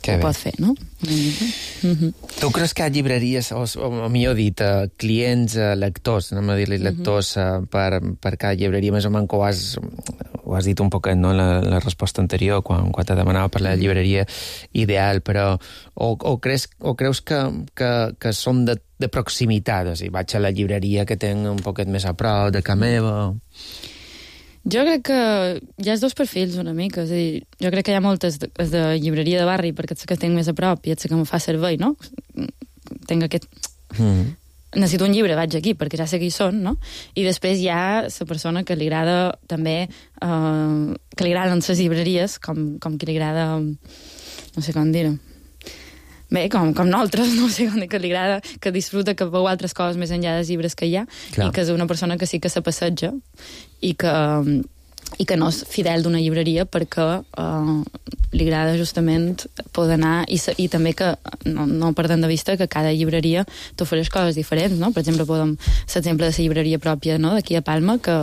Speaker 10: ho pot fer, no?
Speaker 4: Tu creus que hi ha llibreries, o millor dit, clients, lectors, anem a dir-li lectors per cada llibreria, més o menys ho has dit un poquet, no?, en la resposta anterior, quan te demanava per la llibreria ideal, però o creus que són de proximitat, o sigui, vaig a la llibreria que tenc un poquet més a prop de casa meva...
Speaker 10: Jo crec que hi ha els dos perfils una mica, és a dir, jo crec que hi ha moltes de llibreria de barri perquè ets que tinc més a prop i ets que em fa servei, no? Tinc aquest... Necessito un llibre, vaig aquí, perquè ja sé qui són, no? I després hi ha la persona que li agrada també, que li agraden les llibreries, com que li agrada, no sé com dir-ho, bé, com nosaltres, no sé com dir, que li agrada, que disfruta, que veu altres coses més enllà dels llibres que hi ha, i que és una persona que sí que se passeja i que no és fidel d'una llibreria perquè li agrada justament poder anar i també que no perdem de vista que cada llibreria t'ofereix coses diferents, no? Per exemple, l'exemple de la llibreria pròpia, no?, d'aquí a Palma, que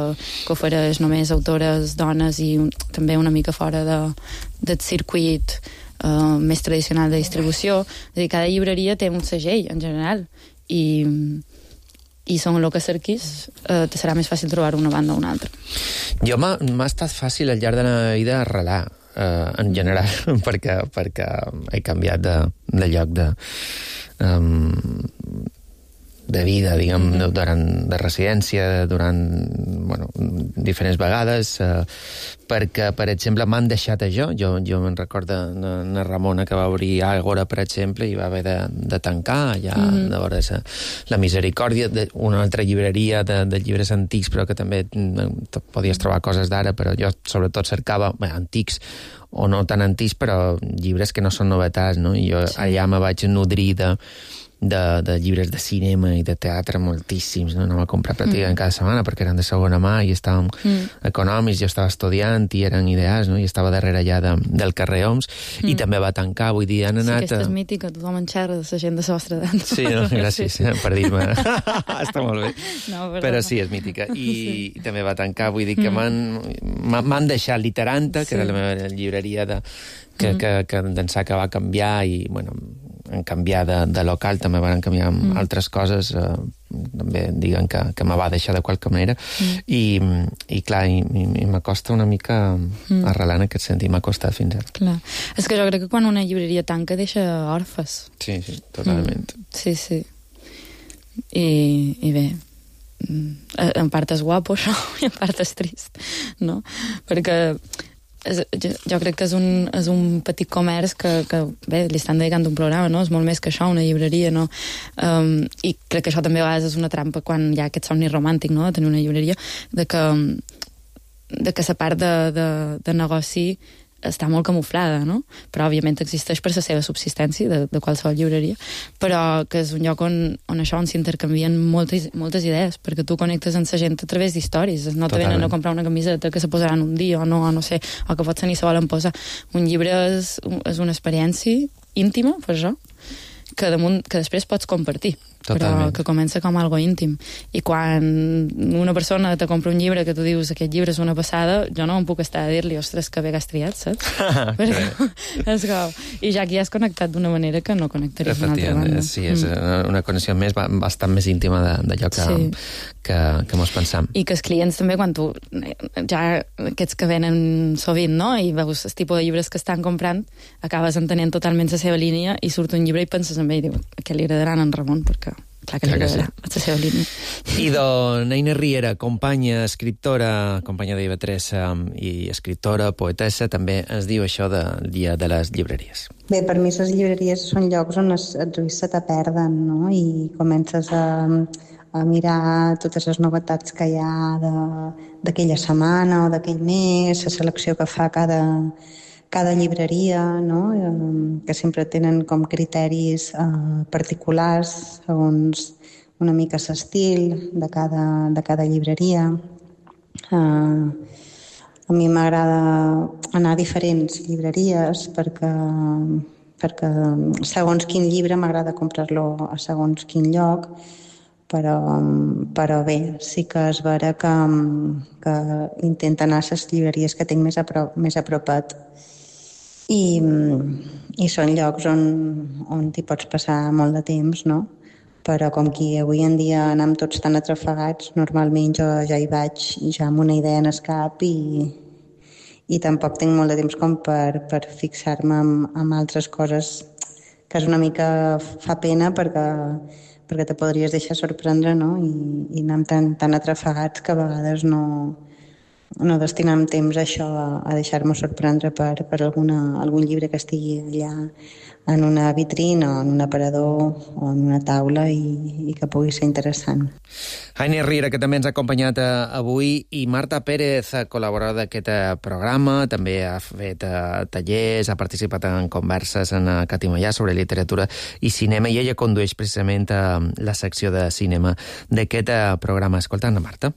Speaker 10: ofereix només autores dones i també una mica fora del circuit més tradicional de distribució. És a dir, cada llibreria té un segell, en general, i segons el que cerquis, te serà més fàcil trobar una banda o una altra.
Speaker 4: Jo m'ha estat fàcil al llarg de la vida arrelar, en general, perquè he canviat de lloc de vida, diguem, de residència, durant diferents vegades, perquè, per exemple, m'han deixat això. Jo me'n recordo na Ramona, que va obrir Àgora, per exemple, i va haver de tancar, ja, de veure la Misericòrdia, una altra llibreria de llibres antics, però que també podies trobar coses d'ara, però jo sobretot cercava antics, o no tan antics, però llibres que no són novetats, no? I jo allà me vaig nodrir de llibres de cinema i de teatre moltíssims, no? Anava a comprar pràcticament cada setmana perquè eren de segona mà i estaven econòmics, jo estava estudiant i eren ideals, no? I estava darrere allà del carrer Oms i també va tancar, vull dir, han anat...
Speaker 10: Sí, aquesta és mítica, tothom en xerra de la gent de la vostra edat.
Speaker 4: Sí, no? Gràcies per dir-me. Està molt bé. No, però sí, és mítica. I també va tancar, vull dir que m'han deixat Literanta, que era la meva llibreria que d'ençà que va canviar i, bueno, en canviar de local també van canviar altres coses, també diguen que me va deixar de qualque manera i clar, i m'acosta una mica arrelar en aquest sentit, m'ha costat fins ara.
Speaker 10: Clar, és que jo crec que quan una llibreria tanca deixa orfes.
Speaker 4: Sí, totalment.
Speaker 10: Sí. I bé, en part és guapo això i en part és trist, no? Perquè jo crec que és un petit comerç que bé, li estan dedicant un programa, no? És molt més que això, una llibreria, no? I crec que això també a vegades és una trampa quan hi ha aquest somni romàntic, no?, de tenir una llibreria, de que la part de negoci està molt camuflada, no? Però òbviament existeix per la seva subsistència de qualsevol llibreria, però que és un lloc on s'intercanvien moltes idees, perquè tu connectes amb la gent a través d'històries, no te venen a comprar una camiseta que se posaran un dia o no sé, o que potser ni se volen posar. Un llibre és una experiència íntima, per això, que després pots compartir. però que comença com algo íntim. I quan una persona te compra un llibre que tu dius aquest llibre és una passada, jo no em puc estar a dir-li, ostres, que bé que has triat, saps? És com... I ja aquí has connectat d'una manera que no connectaries d'una altra banda.
Speaker 4: Sí, és una connexió més, bastant més íntima d'allò que mos pensam.
Speaker 10: I que els clients també, quan tu ja aquests que venen sovint, no?, i veus el tipus de llibres que estan comprant, acabes entenent totalment la seva línia i surt un llibre i penses en ell i diu, que li agradaran en Ramon, perquè clar que li agradarà la seva línia.
Speaker 4: I Neina Riera, companya, escriptora, companya d'IV3 i escriptora, poetessa, també ens diu això del dia de les llibreries.
Speaker 14: Bé, per mi les llibreries són llocs on els ulls se te perden, no?, i comences a mirar totes les novetats que hi ha d'aquella setmana o d'aquell mes, la selecció que fa cada llibreria, no?, que sempre tenen com criteris particulars segons una mica l'estil de cada llibreria. A mi m'agrada anar a diferents llibreries perquè segons quin llibre m'agrada comprar-lo a segons quin lloc, però bé, sí que és vera que intento anar a les llibreries que tinc més apropat. I són llocs on t'hi pots passar molt de temps, no? Però com que avui en dia anem tots tan atrafegats, normalment jo ja hi vaig ja amb una idea en el cap i tampoc tinc molt de temps com per fixar-me en altres coses, que és una mica fa pena perquè te podries deixar sorprendre, no? I anem tan atrafegats que a vegades no destinem temps a això, a deixar-me sorprendre per algun llibre que estigui allà en una vitrina o en un aparador o en una taula i que pugui ser interessant.
Speaker 4: Neina Riera, que també ens ha acompanyat avui, i Marta Pérez, col·laboradora d'aquest programa, també ha fet tallers, ha participat en converses en Catimallà sobre literatura i cinema, i ella condueix precisament la secció de cinema d'aquest programa. Escoltant, Marta.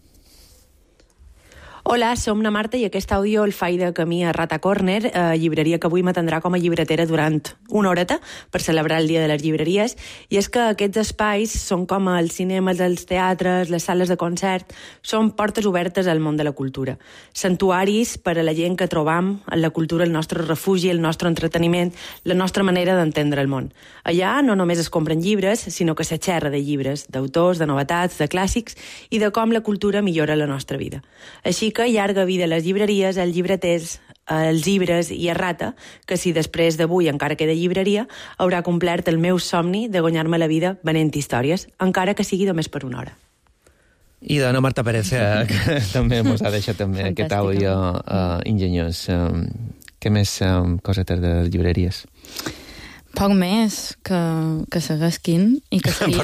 Speaker 15: Hola, som na Marta i aquest àudio el faig de camí a Rata Corner, llibreria que avui m'atendrà com a llibretera durant una horeta per celebrar el Dia de les Llibreries. I és que aquests espais són com els cinemes, els teatres, les sales de concert, són portes obertes al món de la cultura. Santuaris per a la gent que trobam en la cultura el nostre refugi, el nostre entreteniment, la nostra manera d'entendre el món. Allà no només es compren llibres, sinó que se xerra de llibres, d'autors, de novetats, de clàssics i de com la cultura millora la nostra vida. Així que llarga vida a les llibreries, als llibreters, als llibres i a Rata, que si després d'avui encara queda llibreria, haurà complert el meu somni de guanyar-me la vida venent històries, encara que sigui només per una hora.
Speaker 4: I dona Marta Pérez, que també ens ha deixat també aquest àudio ingeniós. Què més cosetes de les llibreries?
Speaker 10: Poc més que seguesquin i que seguim.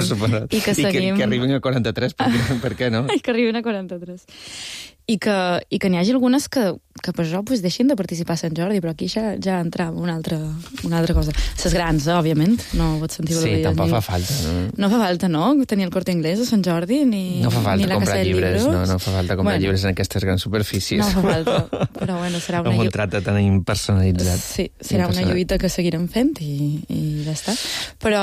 Speaker 4: I que arribin a 43, per què no?
Speaker 10: I que arribin a 43. I que n'hi hagi algunes que per això deixin de participar a Sant Jordi, però aquí ja entrava una altra cosa. Les grans, òbviament, no pots sentir
Speaker 4: sí, tampoc fa falta, no?
Speaker 10: No fa falta, no? Tenir el Corte Inglés a Sant Jordi, ni
Speaker 4: no fa falta
Speaker 10: ni la
Speaker 4: comprar llibres,
Speaker 10: llibres.
Speaker 4: No fa falta comprar llibres en aquestes grans superfícies.
Speaker 10: No fa falta, però bueno, serà una
Speaker 4: amb un tracte tan impersonalitzat.
Speaker 10: Sí, serà una lluita que seguirem fent i ja està. Però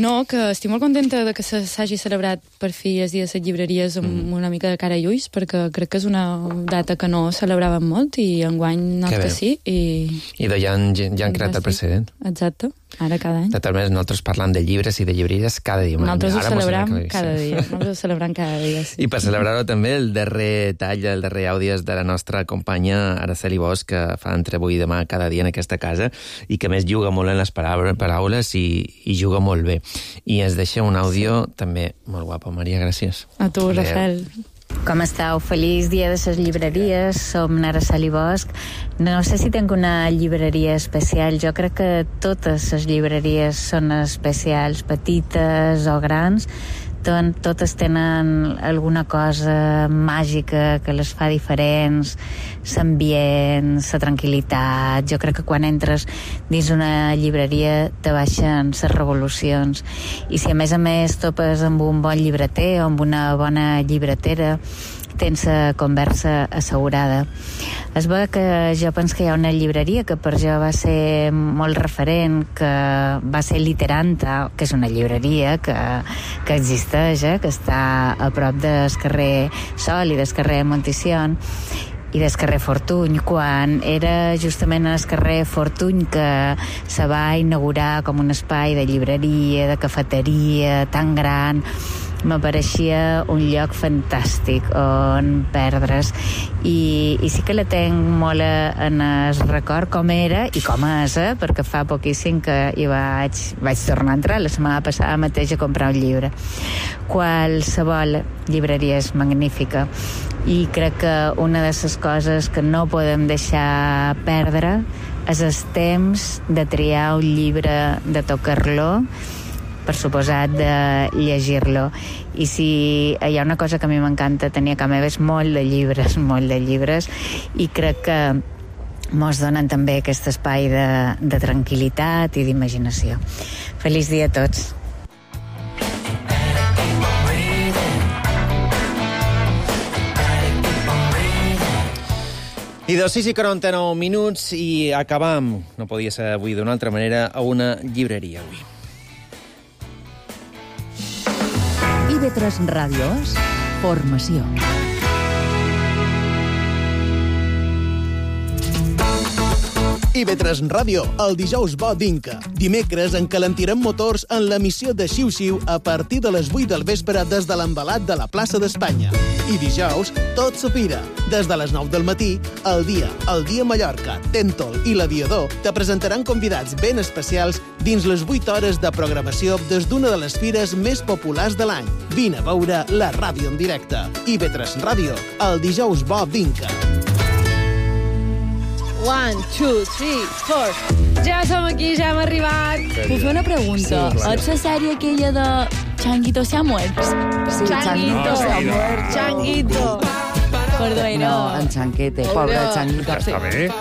Speaker 10: no, que estic molt contenta de que s'hagi celebrat per fi el dia de les llibreries amb una mica de cara i ulls, perquè crec que és una data que no celebràvem molt i enguany not que sí.
Speaker 4: I ja han creat el precedent.
Speaker 10: Exacte, ara cada any.
Speaker 4: De totes maneres, nosaltres parlant de llibres i de llibreries cada dia.
Speaker 10: Nosaltres ho celebrem cada dia. Nosaltres ho celebrem cada dia, sí.
Speaker 4: I per celebrar-ho també el darrer tall, el darrer àudio és de la nostra companya Araceli Bosch, que fa entre avui i demà cada dia en aquesta casa i que més juga molt en les paraules i juga molt bé. I ens deixa un àudio també molt guapo. Maria, gràcies.
Speaker 10: A tu, Rafael.
Speaker 8: Com esteu? Feliç dia de les llibreries. Som Araceli Bosch. No sé si tinc una llibreria especial. Jo crec que totes les llibreries són especials, petites o grans. Totes tenen alguna cosa màgica que les fa diferents, l'ambient, la tranquil·litat. Jo crec que quan entres dins una llibreria te baixen les revolucions. I si a més topes amb un bon llibreter o amb una bona llibretera, tens la conversa assegurada. Es veu que jo penso que hi ha una llibreria que per jo va ser molt referent, que va ser Literanta, que és una llibreria que existeix, que està a prop del carrer Sol i del carrer Montición i del carrer Fortuny, quan era justament en el carrer Fortuny que se va inaugurar com un espai de llibreria, de cafeteria tan gran. M'apareixia un lloc fantàstic on perdre's i sí que la tenc molt en el record com era i com és, perquè fa poquíssim que hi vaig tornar a entrar la setmana passada mateix a comprar un llibre. Qualsevol llibreria és magnífica i crec que una de les coses que no podem deixar perdre és el temps de triar un llibre, de tocar-lo, per suposat de llegir-lo. I si hi ha una cosa que a mi m'encanta tenir a casa meva és molt de llibres, i crec que mos donen també aquest espai de tranquil·litat i d'imaginació. Feliç dia a tots.
Speaker 4: I de 6:49 minuts i acabam, no podia ser avui d'una altra manera, a una llibreria avui.
Speaker 2: IB3 Ràdio és formació.
Speaker 16: IB3 Ràdio, el dijous bo d'Inca. Dimecres encalentirem motors en l'emissió de Xiu-Xiu a partir de les 8 del vespre des de l'embalat de la plaça d'Espanya. I dijous, tot s'opira. Des de les 9 del matí, el dia Mallorca, Tèntol i l'Aviador te presentaran convidats ben especials dins les 8 hores de programació des d'una de les fires més populars de l'any. Vine a veure la ràdio en directe. IB3 Ràdio, el dijous bo d'Inca.
Speaker 17: 1, 2, 3, 4. Ja som aquí, ja hem arribat.
Speaker 10: Puc fer una pregunta?
Speaker 17: Sí,
Speaker 10: és la sèrie aquella de Changuito se ha muerto?
Speaker 17: Sí, Changuito se ha muerto. Changuito.
Speaker 10: Perdó,
Speaker 18: No, en Chanquete, pobre Changuito.
Speaker 19: Està bé.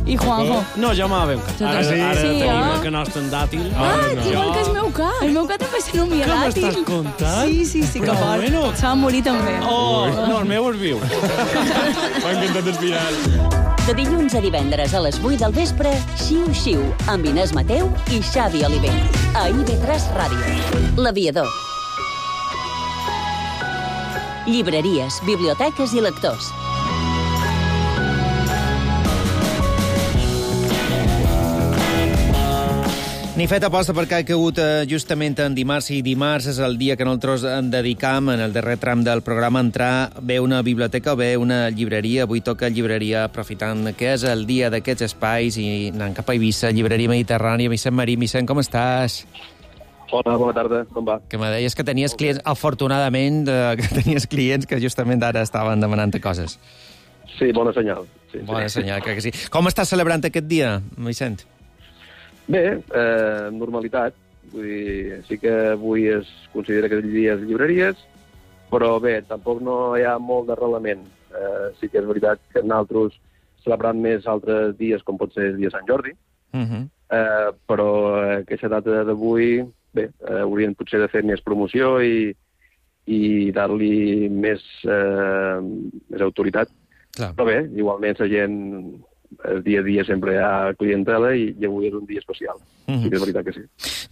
Speaker 10: I Juanjo?
Speaker 19: No, jo m'havia
Speaker 10: Ara
Speaker 19: tenim el nostre dàtil.
Speaker 10: Igual que el meu cat. El meu cat també se nomia
Speaker 19: Què
Speaker 10: dàtil.
Speaker 19: m'estàs contant?
Speaker 10: Sí, que
Speaker 19: Però
Speaker 10: fort.
Speaker 19: bueno.
Speaker 10: Se va morir també.
Speaker 19: No, el meu és viu. M'ha encantat el final.
Speaker 3: De dilluns a divendres a les 8 del vespre, Xiu-Xiu, amb Inés Mateu i Xavi Oliver. A IB3 Ràdio. L'Aviador. Llibreries, biblioteques i lectors.
Speaker 4: Ni fet aposta perquè ha caigut justament en dimarts, i dimarts és el dia que nosaltres en dedicam, en el darrer tram del programa, a entrar bé una biblioteca o bé una llibreria. Avui toca llibreria, aprofitant que és el dia d'aquests espais i anant cap a Eivissa, llibreria mediterrània. Vicent Marín, Vicent, com estàs?
Speaker 20: Hola, bona tarda, com va?
Speaker 4: Que me deies que tenies clients, afortunadament, que tenies clients que justament ara estaven demanant coses.
Speaker 20: Sí, bona senyal. Sí,
Speaker 4: bona senyal, crec que sí. Com estàs celebrant aquest dia, Vicent?
Speaker 20: Bé, normalitat. Vull dir, sí que avui es considera que el dia és llibreries, però bé, tampoc no hi ha molt d'arrelament. Sí que és veritat que nosaltres celebrant més altres dies, com pot ser el dia Sant Jordi, però aquesta data d'avui, bé, haurien potser de fer més promoció i dar-li més autoritat.
Speaker 4: Clar.
Speaker 20: Però bé, igualment la gent, el dia a dia sempre hi ha clientela i avui és un dia especial. Sí que és veritat que sí.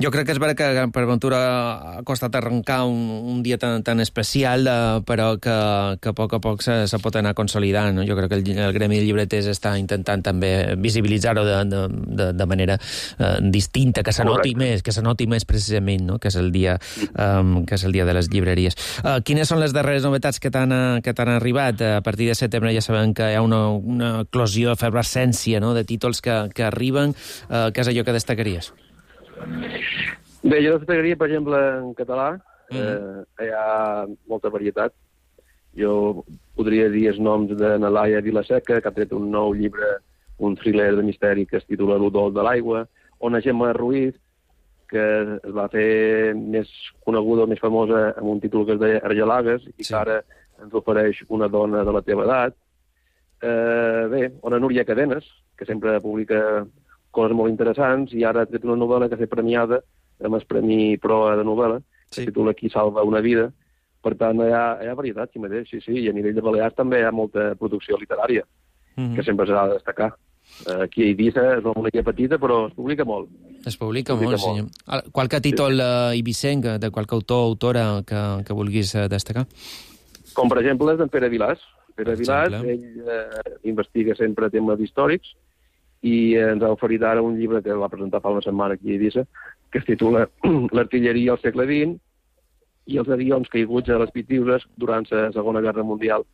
Speaker 4: Jo crec que és vera que per Ventura ha costat arrencar un dia tan especial, però que a poc se pot anar consolidant. No? Jo crec que el Gremi de Llibreters està intentant també visibilitzar-ho de manera distinta, que se noti més precisament, no? que és el dia de les llibreries. Quines són les darreres novetats que t'han arribat? A partir de setembre ja sabem que hi ha una eclosió, efervescència, no? de títols que arriben. Què és allò que destacaries?
Speaker 20: Bé, jo destacaria, per exemple, en català. Hi ha molta varietat. Jo podria dir els noms de Nalaia Vilaseca, que ha tret un nou llibre, un thriller de misteri que es titula L'odol de l'aigua, o na Gemma Ruiz, que es va fer més coneguda, més famosa, amb un títol que es deia Argelagues, i que ara ens ofereix una dona de la teva edat. Bé, o na Núria Cadenes, que sempre publica coses molt interessants, i ara ha tret una novel·la que ha fet premiada amb el Premi Proa de novel·la, que es titula Qui salva una vida, Per tant, hi ha varietat, sí mateix, sí. I a nivell de Balears també hi ha molta producció literària, que sempre s'ha de destacar. Aquí a Eivissa és una illa petita, però es publica molt.
Speaker 4: Es publica molt, senyor. Qualque títol eivissenc, de qualque autor o autora que vulguis destacar?
Speaker 20: Com, per exemple, és d'en Pere Vilàs. Pere Vilàs, ell investiga sempre temes històrics i ens ha oferit ara un llibre que va presentar fa una setmana aquí a Eivissa, que es titula L'artilleria al segle XX i els avions caiguts a les Pitiüses durant la Segona Guerra Mundial,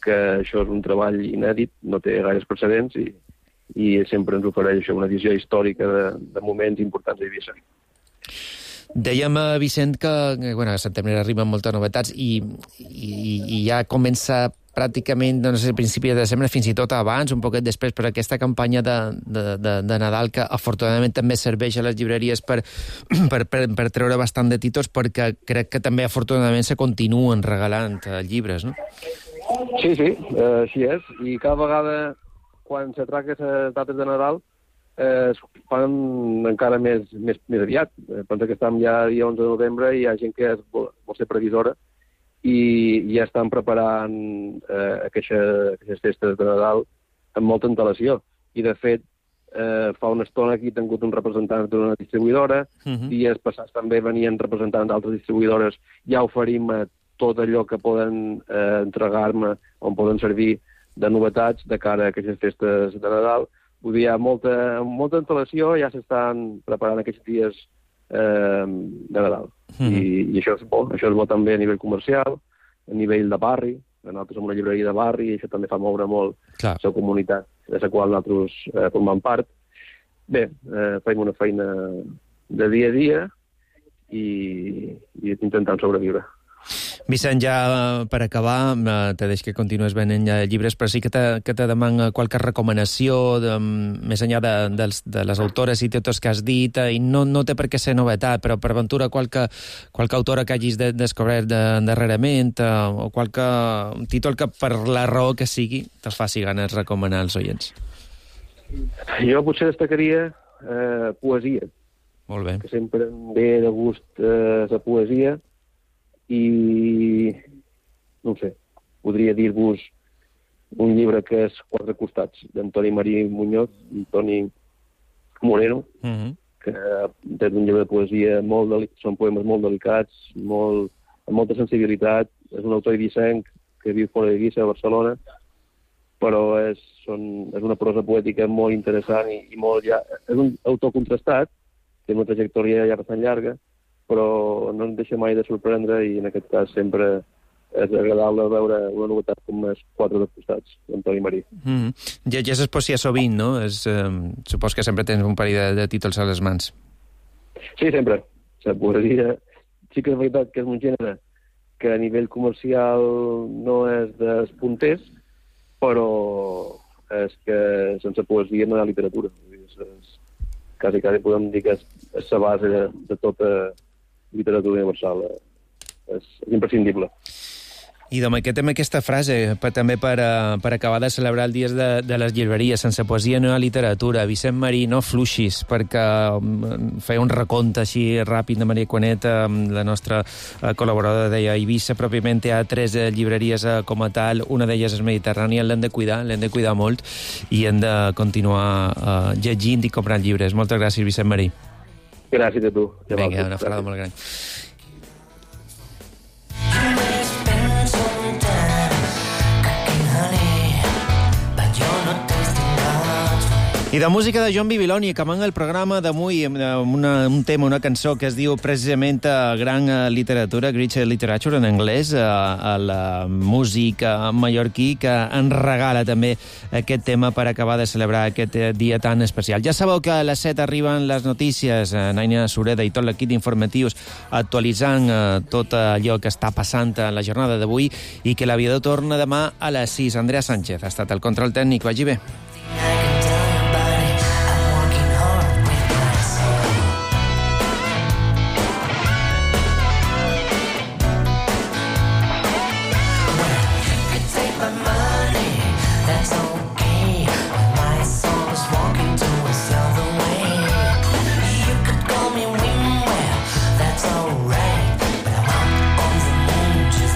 Speaker 20: que això és un treball inèdit, no té gaires precedents i sempre ens ofereix una visió històrica de moments importants a Eivissa.
Speaker 4: Dèiem, Vicent, que a setembre arriben moltes novetats i ja comença pràcticament, no sé, a principi de desembre, fins i tot abans, un poquet després, per aquesta campanya de Nadal, que afortunadament també serveix a les llibreries per treure bastant de títols, perquè crec que també afortunadament se continuen regalant llibres, no?
Speaker 20: Sí, així és. I cada vegada, quan se tracta les dates de Nadal, es fan encara més aviat. Pensa que estem ja dia 11 de novembre i hi ha gent que vol ser previsora i ja estan preparant aquestes festes de Nadal amb molta antelació. I, de fet, fa una estona aquí he tingut un representant d'una distribuïdora, dies passats també venien representants d'altres distribuïdores, ja oferim tot allò que poden entregar-me, on poden servir de novetats de cara a aquestes festes de Nadal. Vull dir, hi ha molta antelació, ja s'estan preparant aquests dies de Nadal. I això és bo també a nivell comercial, a nivell de barri. Nosaltres som una llibreria de barri i això també fa moure molt la comunitat de la qual nosaltres formem part. Bé, fem una feina de dia a dia i intentant sobreviure.
Speaker 4: Vicent, ja per acabar, te deix que continues venent llibres, però sí que te deman qualque recomanació més enllà de les autores i totes que has dit, i no té per què ser novetat, però per aventura qualque autora que hagis descobert darrerament o qualque títol que per la raó que sigui te faci ganes recomanar als oients.
Speaker 20: Jo potser destacaria poesia.
Speaker 4: Molt bé.
Speaker 20: Que sempre em ve de gust la poesia. I, no sé, podria dir-vos un llibre que és Quatre costats, d'Antoni Marí Muñoz i Toni Moreno, que és un llibre de poesia, són poemes molt delicats, amb molta sensibilitat. És un autor eivissenc que viu fora d'Eivissa, a Barcelona, però és una prosa poètica molt interessant i és un autor contrastat, té una trajectòria ja bastant llarga, però no ens deixa mai de sorprendre i en aquest cas sempre és agradable veure una novetat com és Quatre costats, d'Antoni Marí.
Speaker 4: Llegeixes poesia sovint, no? Supos que sempre tens un parell de títols a les mans.
Speaker 20: Sí, sempre. La poesia sí que és veritat que és un gènere que a nivell comercial no és dels punters, però és que sense poesia no hi ha literatura. Quasi podem dir que és la base de tota literatura universal. És imprescindible.
Speaker 4: I d'aquest aquesta frase, també per acabar de celebrar el dia de les llibreries. Sense poesia no hi ha literatura. Vicent Marí, no fluixis, perquè feia un recompte així ràpid de Maria Quanet, la nostra col·laboradora, deia Eivissa pròpiament hi ha 3 llibreries com a tal, una d'elles és Mediterrània, l'hem de cuidar molt i hem de continuar llegint i comprant llibres. Moltes gràcies, Vicent Marí.
Speaker 20: Gràcies a tu.
Speaker 4: Vinga, una abraçada molt gran. I de música de John Bibiloni, acabant el programa d'avui amb un tema, una cançó que es diu precisament Gran Literatura, Great Literature en anglès, a la música mallorquí, que ens regala també aquest tema per acabar de celebrar aquest dia tan especial. Ja sabeu que a les 7 arriben les notícies, Naina Sureda i tot l'equip d'informatius actualitzant tot allò que està passant a la jornada d'avui i que l'aviador torna demà a les 6. Andrea Sánchez ha estat el control tècnic. Vagi bé. Just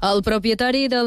Speaker 21: El propietari del